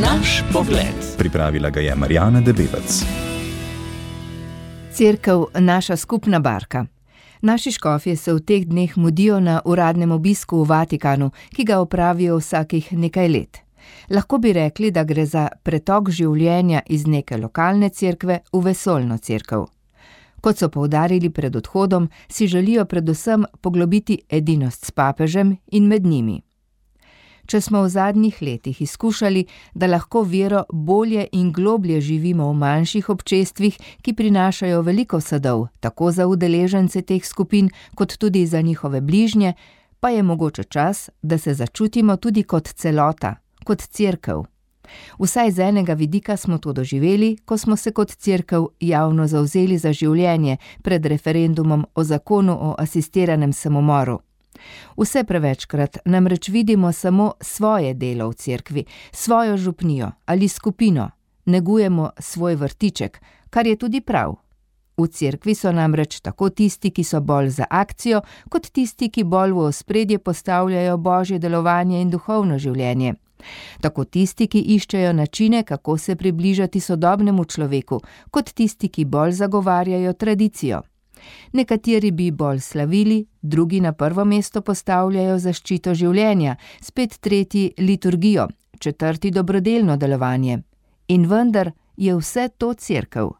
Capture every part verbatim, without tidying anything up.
Naš pogled. Pripravila ga je Marjana Debevec. Cerkev, naša skupna barka. Naši škofje se v teh dneh mudijo na uradnem obisku v Vatikanu, ki ga opravijo vsakih nekaj let. Lahko bi rekli, da gre za pretok življenja iz neke lokalne cerkve v vesoljno cerkev. Kot so poudarili pred odhodom, si želijo predvsem poglobiti edinost s papežem in med njimi. Če smo v zadnjih letih izkušali, da lahko vero bolje in globlje živimo v manjših občestvih, ki prinašajo veliko sadov, tako za udeležence teh skupin, kot tudi za njihove bližnje, pa je mogoče čas, da se začutimo tudi kot celota, kot cerkev. Vsaj z enega vidika smo to doživeli, ko smo se kot cerkev javno zavzeli za življenje pred referendumom o zakonu o asistiranem samomoru. Vse prevečkrat namreč vidimo samo svoje delo v cerkvi, svojo župnijo ali skupino, negujemo svoj vrtiček, kar je tudi prav. V cerkvi so namreč tako tisti, ki so bolj za akcijo, kot tisti, ki bolj v ospredje postavljajo božje delovanje in duhovno življenje. Tako tisti, ki iščejo načine, kako se približati sodobnemu človeku, kot tisti, ki bolj zagovarjajo tradicijo. Nekateri bi bolj slavili, drugi na prvo mesto postavljajo zaščito življenja, spet tretji liturgijo, četrti dobrodelno delovanje. In vendar je vse to cerkev.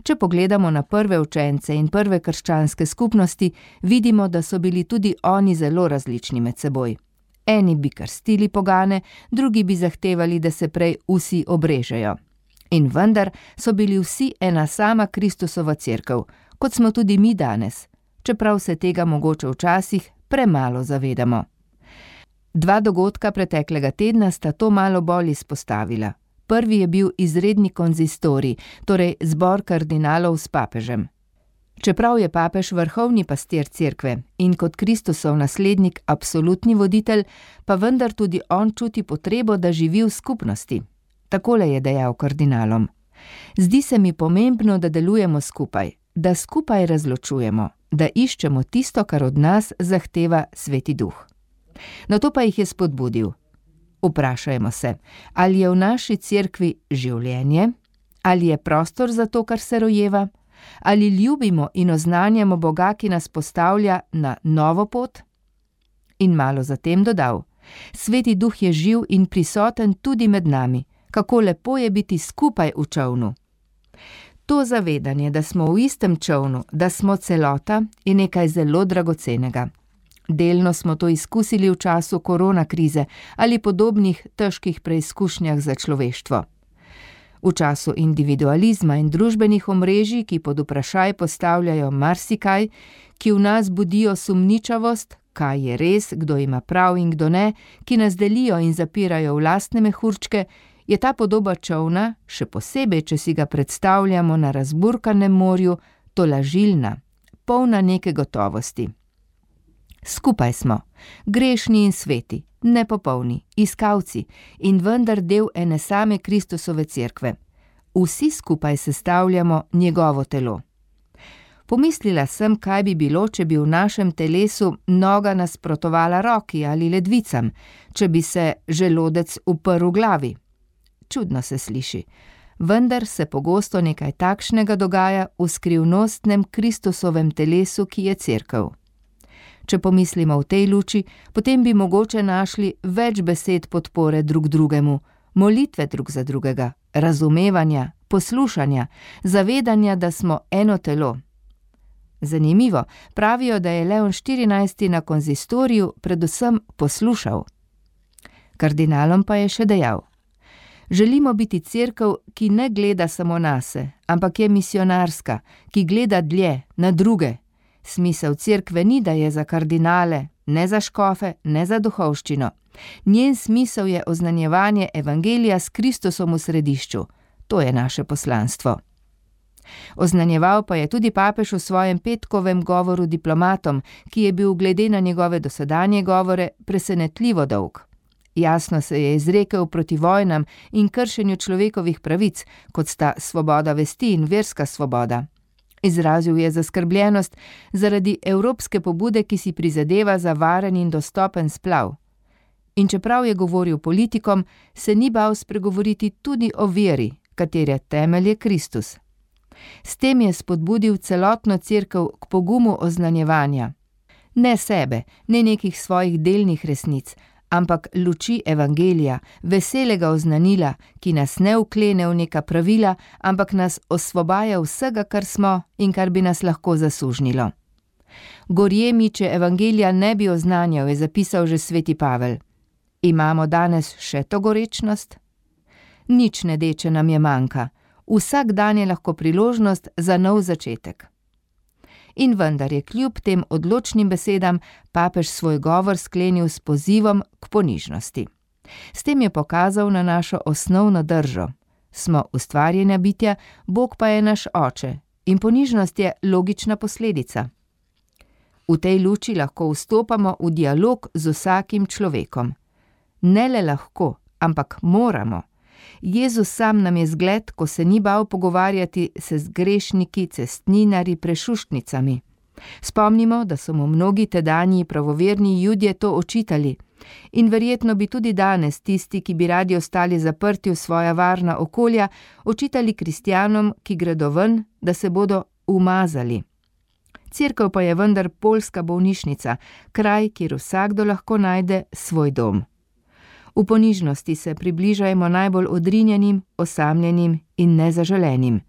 Če pogledamo na prve učence in prve krščanske skupnosti, vidimo, da so bili tudi oni zelo različni med seboj. Eni bi krstili pogane, drugi bi zahtevali, da se prej vsi obrežejo. In vendar so bili vsi ena sama Kristusova cerkev, kot smo tudi mi danes, čeprav se tega mogoče včasih premalo zavedamo. Dva dogodka preteklega tedna sta to malo bolj izpostavila. Prvi je bil izredni konzistorij, torej zbor kardinalov s papežem. Čeprav je papež vrhovni pastir cerkve in kot Kristusov naslednik absolutni voditelj, pa vendar tudi on čuti potrebo, da živi v skupnosti. Takole je dejal kardinalom: Zdi se mi pomembno, da delujemo skupaj, da skupaj razločujemo, da iščemo tisto, kar od nas zahteva Sveti Duh. Nato pa jih je spodbudil. Vprašajmo se, ali je v naši cerkvi življenje, ali je prostor za to, kar se rojeva, ali ljubimo in oznanjamo Boga, ki nas postavlja na novo pot? In malo zatem dodal: Sveti Duh je živ in prisoten tudi med nami, kako lepo je biti skupaj v čolnu. To zavedanje, da smo v istem čolnu, da smo celota, je nekaj zelo dragocenega. Delno smo to izkusili v času korona krize ali podobnih težkih preizkušnjah za človeštvo. V času individualizma in družbenih omrežij, ki pod vprašaj postavljajo marsikaj, ki v nas budijo sumničavost, kaj je res, kdo ima prav in kdo ne, ki nas delijo in zapirajo v lastne mehurčke, je ta podoba čolna, še posebej, če si ga predstavljamo na razburkanem morju, tolažilna, polna neke gotovosti. Skupaj smo, grešni in sveti, nepopolni, iskalci in vendar del ene same Kristusove cerkve. Vsi skupaj sestavljamo njegovo telo. Pomislila sem, kaj bi bilo, če bi v našem telesu noga nasprotovala roki ali ledvicam, če bi se želodec uprl glavi. Čudno se sliši, vendar se pogosto nekaj takšnega dogaja v skrivnostnem Kristusovem telesu, ki je cerkev. Če pomislimo v tej luči, potem bi mogoče našli več besed podpore drug drugemu, molitve drug za drugega, razumevanja, poslušanja, zavedanja, da smo eno telo. Zanimivo, pravijo, da je Leon štirinajsti na konzistoriju predvsem poslušal. Kardinalom pa je še dejal: Želimo biti cerkev, ki ne gleda samo nase, ampak je misionarska, ki gleda dlje, na druge. Smisel cerkve ni, da je za kardinale, ne za škofe, ne za duhovščino. Njen smisel je oznanjevanje evangelija s Kristusom v središču. To je naše poslanstvo. Oznanjeval pa je tudi papež v svojem petkovem govoru diplomatom, ki je bil glede na njegove dosedanje govore presenetljivo dolg. Jasno se je izrekel proti vojnam in kršenju človekovih pravic, kot sta svoboda vesti in verska svoboda. Izrazil je zaskrbljenost zaradi evropske pobude, ki si prizadeva za varen in dostopen splav. In čeprav je govoril politikom, se ni bal spregovoriti tudi o veri, katere temelj je Kristus. S tem je spodbudil celotno cerkev k pogumu oznanjevanja. Ne sebe, ne nekih svojih delnih resnic, ampak luči evangelija, veselega oznanila, ki nas ne vklene v neka pravila, ampak nas osvobaja vsega, kar smo in kar bi nas lahko zasužnilo. Gorje mi, če evangelija ne bi oznanjal, je zapisal že sveti Pavel. Imamo danes še to gorečnost? Nič nedeče nam je manjka. Vsak dan je lahko priložnost za nov začetek. In vendar je kljub tem odločnim besedam papež svoj govor sklenil s pozivom k ponižnosti. S tem je pokazal na našo osnovno držo. Smo ustvarjena bitja, Bog pa je naš oče in ponižnost je logična posledica. V tej luči lahko vstopamo v dialog z vsakim človekom. Ne le lahko, ampak moramo. Jezus sam nam je zgled, ko se ni bal pogovarjati se z grešniki, cestninarji, prešuštnicami. Spomnimo, da so mu mnogi tedanji pravoverni Judje to očitali in verjetno bi tudi danes tisti, ki bi radi ostali zaprti v svoja varna okolja, očitali kristjanom, ki gredo ven, da se bodo umazali. Cerkev pa je vendar poljska bolnišnica, kraj, kjer vsakdo lahko najde svoj dom. V ponižnosti se približajmo najbolj odrinjenim, osamljenim in nezaželenim.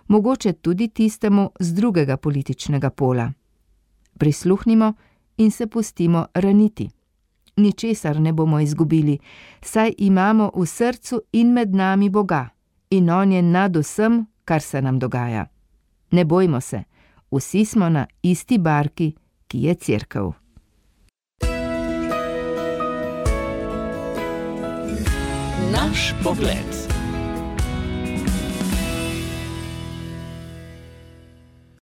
Mogoče tudi tistemu z drugega političnega pola. Prisluhnimo in se pustimo raniti. Ničesar ne bomo izgubili, saj imamo v srcu in med nami Boga in On je nad vsem, kar se nam dogaja. Ne bojmo se, vsi smo na isti barki, ki je cerkev. Naš pogled.